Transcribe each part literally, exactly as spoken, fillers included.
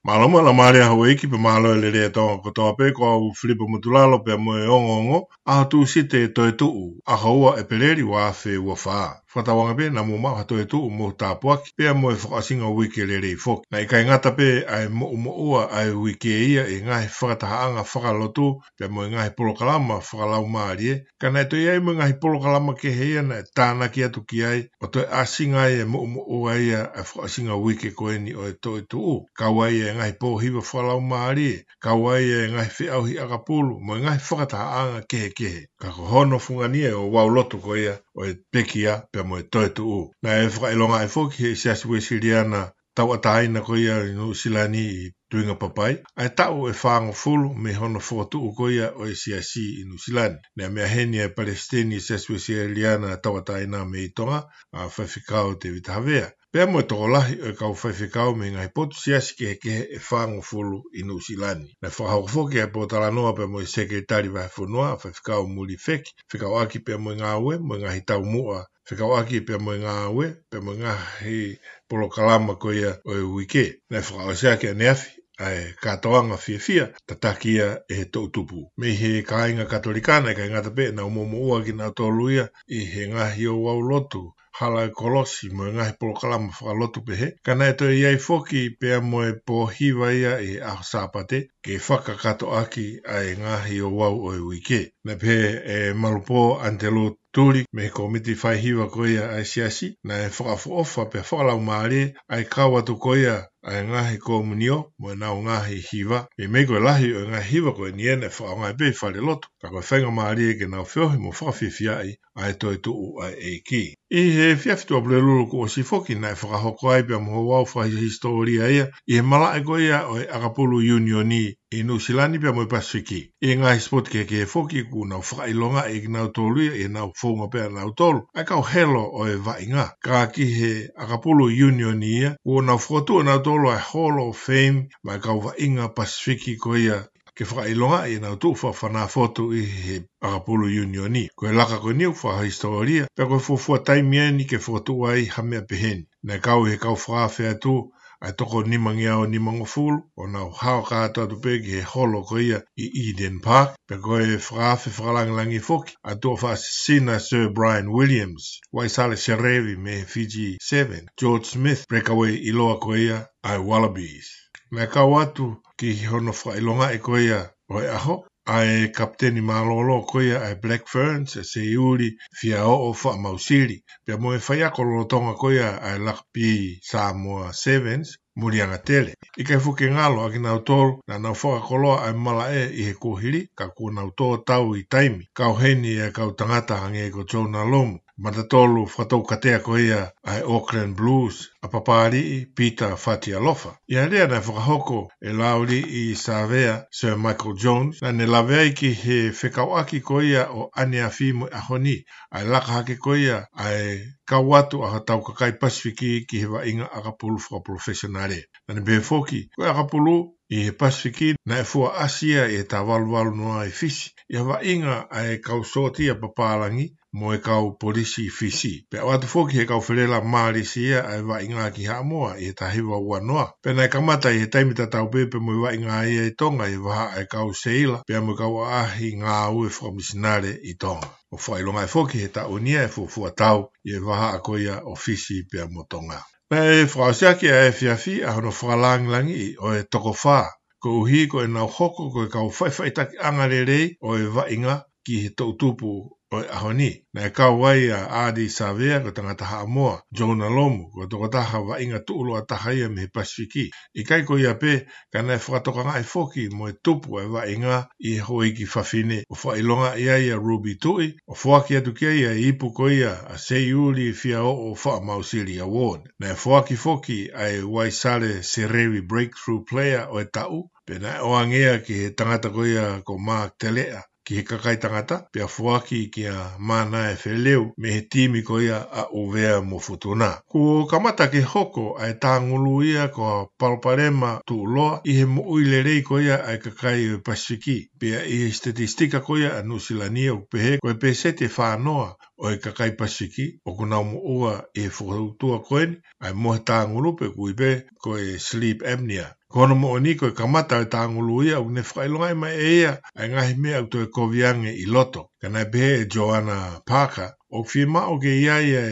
Mālō mo e laumālie ʻa houʻeiki pea mālō e lelei ʻa Tonga kotoa pē, ko au Filipa Motulalo pea mo e ongoongo, ʻaho Tūsite Toetuʻu, ʻaho ua ʻEpeleli ua afe ua fā. Fakatauange pē naʻa mou maʻu ha toetuʻu mo e tāpuaki, pea mo e fakaʻosinga uike lelei foki. Naʻe ʻikai ngata pē ʻa e moʻumoʻua ʻa e uike ia ʻi he ngaahi fakatahaʻanga fakalotu, pea mo e ngaahi polokalama fakalaumālie, ka naʻe toe ʻi ai mo e ngaahi polokalama kehe ia naʻe tānaki atu ki ai, ʻo toe ʻasinga ai e moʻumoʻua ia ʻa e fakaʻosinga uike ko eni ʻo e toetuʻu. Kau ai e ngaahi pōhiva fakalaumālie, kau ai e ngaahi feʻauhi ʻakapulu, mo e ngaahi fakatahaʻanga kehekehe. Ka ko hono fungani ʻo e ouau lotu ko ia ʻo e pekia pea mo e toetuʻu. Naʻe fakaʻilongaʻi foki ʻe he Siasi Uesiliana Tauʻatāina ko ia ʻi Nuʻusila ni ʻi Tuingapapai ʻa e taʻu ʻe fāngofulu mei hono fokotuʻu ko ia ʻo e Siasi ʻi Nuʻusila ni. Naʻe meʻa heni ʻa e Palesiteni ʻo e Siasi Uesiliana Tauʻatāina mei Tonga, ʻa Faifekau Tēvita Havea, pea mo e tokolahi ʻo e kau faifekau mei he ngaahi potu siasi kehekehe ʻe fāngofulu ʻi Nuʻusila ni. Naʻe fakahoko foki ʻa e pōtalanoa pea mo e Sekelitali Vahefonua, ʻa Faifekau Muli Feki, fekauʻaki pea mo e ngāue mo e ngaahi taumuʻa fekauʻaki pea mo e ngāue pea mo e ngaahi polokalama ko ia ʻo e uike. Naʻe fakaʻosi ʻaki ʻaneafi ʻa e kātoanga fiefia tataki ia ʻe he toʻutupu. Mei he kāinga Katolika naʻe ʻikai ngata pē ʻenau moʻumoʻua kinautolu ia ʻi he ngaahi ouau lotu, hala ʻo e kolosi mo e ngaahi polokalama fakalotu pehē, ka naʻe toe ʻi ai foki pea mo e pōhiva ia ʻi he ʻaho Sāpate, ke fakakakato ʻaki ʻa e ngaahi ouau ʻo e uike. Naʻe pehē ʻe Malupō ʻAnitelū Tuli mei he kōmiti faihiva ko ia ʻa e Siasi, naʻe fakaʻofoʻofa pea fakalaumālie ʻa e kau atu ko ia ʻa e ngaahi komunio mo ʻenau ngaahi hiva. ʻI he meʻa ko e lahi ʻo e ngaahi hiva ko eni ʻe fakaʻaongaʻi pē ʻi falelotu, ka ko e faingamālie ke nau feohi mo fakafiefiaʻi ʻa e toetuʻu ʻa e ʻEiki. ʻI he efiafi Tuʻapulelulu kuo ʻosi foki naʻe fakahoko ai pea mo ha ouau fakahisitōlia ia ʻi he malaʻe ko ia ʻo e ʻakapulu ʻiunioni ʻi Nuʻusila ni pea mo e Pasifiki. ʻI he ngaahi sipoti kehekehe foki kuo nau fakaʻilongaʻi ʻe kinautolu ia ʻi heʻenau founga pē ʻanautolu ʻa e kau helo ʻo e vaʻinga. Ka ki he ʻakapulu ʻiunioni ia, kuo nau fokotuʻu ʻe nautolu ʻa e Hall of Fame maʻa e kau vaʻinga Pasifiki ko ia ke fakaʻilongaʻi ʻenau tuʻu fakafanāfotu ʻi he ʻakapulu ʻiunioni. Ko e laka ko eni ʻoku fakahisitōlia, pea ko e fuofua taimi eni ke fokotuʻu ai ha meʻa pehē ni. Naʻe kau ʻi he kau fakaafe atu ʻa e toko nimangeau nimangofulu, ʻo nau hao kātoa atu pē ki he holo ko ia ʻi Eden Park, pea ko e fakaafe fakalāngilangi foki ʻa e tuʻa fakasisina Sir Brian Williams, Waisale Serevi mei he Fiji Sevens, George Smith, breakaway ʻiloa ko ia ʻa e Wallabies. Naʻe kau atu ki hono fakaʻilongaʻi ko ia ʻo e ʻaho ʻa e kapiteni mālōlō ko ia ʻa e Black Ferns, ʻa Seiuli Fiaoʻo Faʻamausili, pea mo e faiako lolotonga ko ia ʻa e lakapī Samoa Sevens, Mulianga Tele. ʻIkai foki ke ngalo ʻa kinautolu naʻa nau fakakoloa ʻa e malaʻe ʻi he kuohili, ka kuo nau tō tau ʻi taimi, kau heni ʻa e kau tangata hangē ko Jonah Lomu, matatolu fakatoukatea ko ia ʻa e Auckland Blues, ʻa Papaliʻi Pita Fatialofa. ʻI he lea naʻe fakahoko ʻe Lauli ʻi Savea, Sir Michael Jones, naʻa ne lave ai ki he fekauʻaki ko ia ʻo ʻaneafi mo e ʻaho ni, ʻa e laka hake ko ia ʻa e kau atu ʻa hotau kakai Pasifiki ki he vaʻinga ʻakapulu fakapalofesionale. Naʻa ne pehē foki, ko e ʻakapulu ʻi he Pasifiki naʻe fua ʻasi ia ʻi he taha valu valu noa ʻi Fisi, ʻi ha vaʻinga ʻa e kau sōtia papālangi mo e kau polisi Fisi. Pea ʻoatu foki ʻe he kau Felelā Mālēsia ʻa e vaʻinga ki Haʻamoa ʻi he taha hiva ua noa. Pea naʻe kamata ʻi he taimi tatau pē pea mo e vaʻinga ia ʻi Tonga ʻi he vahaʻa ʻa e kau seila, pea mo e kau ʻaʻahi ngāue fakamisinale ʻi Tonga. ʻOku fakaʻilongaʻi foki he taʻu ni ʻa e fuofua tau ʻi he vahaʻa ko ia ʻo Fisi pea mo Tonga. Naʻe fakaʻosi ʻaki ʻa e efiafi ʻa hono fakalāngilangiʻi ʻo e toko fā, koeʻuhi ko ʻenau hoko ko e kau faʻifaʻitakiʻanga lelei ʻo e vaʻinga ki he toʻutupu ʻo e ʻaho ni. Naʻe kau ai ʻa Ardie Savea, ko e tangata Haʻamoa, Jonah Lomu, ko e tokotaha vaʻinga tuʻuloa taha ia mei he Pasifiki. ʻIkai ko ia pē, ka naʻe fakatokangaʻi foki mo e tupu ʻa e vaʻinga ʻi he houʻeiki fafine, ʻo fakaʻilongaʻi ai ʻa Ruby Tuʻi, ʻo foaki atu ki ai ʻa e ipu ko ia ʻa Seiuli Fiaoʻo Faʻamausili Award. Naʻe foaki foki ʻa e Waisale Serevi Breakthrough Player ʻo e taʻu, pea naʻe ʻoange ia ki he tangata ko ia ko Mark Teleʻa, ki he kakai tangata, pea foaki kia Manaia Feleu mei he timi ko ia ʻa ʻUvea mo Futuna. Kuo kamata ke hoko ʻa e tāngulu ia ko ha palopalema tuʻuloa ʻi he moʻui lelei ko ia ʻa e kakai ʻo e Pasifiki, pea ʻi he sitetisitika ko ia ʻa Nuʻusila ni ʻoku pehē ko e pēseti ʻe fā noa ʻo e kakai Pasifiki ʻoku nau moʻua ʻi he fokoutua ko eni, ʻa e mohe tāngulu pe ʻoku ui pē ko e sleep apnea. Ko hono moʻoni ko e kamata ʻo e tāngulu ia ʻoku ne fakaʻilongaʻi mai ʻe ia ʻa e ngaahi meʻa ʻoku toe kovi ange ʻi loto. Ka naʻe pehē ʻe Joanna Parker, ʻoku fiemaʻu ke ʻi ai e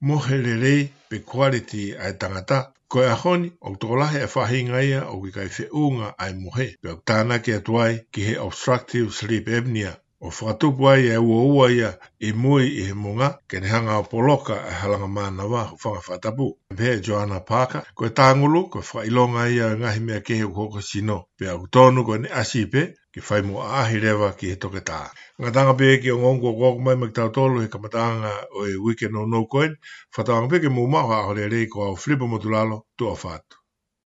mohe lelei pe quality ʻa e tangata. Ko e ʻaho ni, ʻoku tokolahi e faʻahinga ia ʻoku ʻikai feʻunga ʻa e mohe, pea ʻoku tānaki atu ai ki he obstructive sleep apnea, ʻo fakatupu ai e uaua ia ʻi mui ʻi he moʻunga, ke ne hanga ʻo poloka e halanga mānava hūfanga fakatapu. Pehē ʻe Joanna Parker, ko e tāngulu, ko e fakaʻilonga ia ʻo e ngaahi meʻa kehe ʻoku hoko ʻi sino, pea ʻoku tonu ko ʻene ʻasi pē ke fai mo ʻaʻahi leva ki he toketā. Ngataʻanga pē ki he ongoongo kuo ʻoku mai maʻa kitautolu he kamataʻanga ʻo e uike nounou ko eni, fakatauange pē ke mou maʻu ha ʻaho lelei. Ko au Filipa Motulalo, tuʻa ʻofa atu.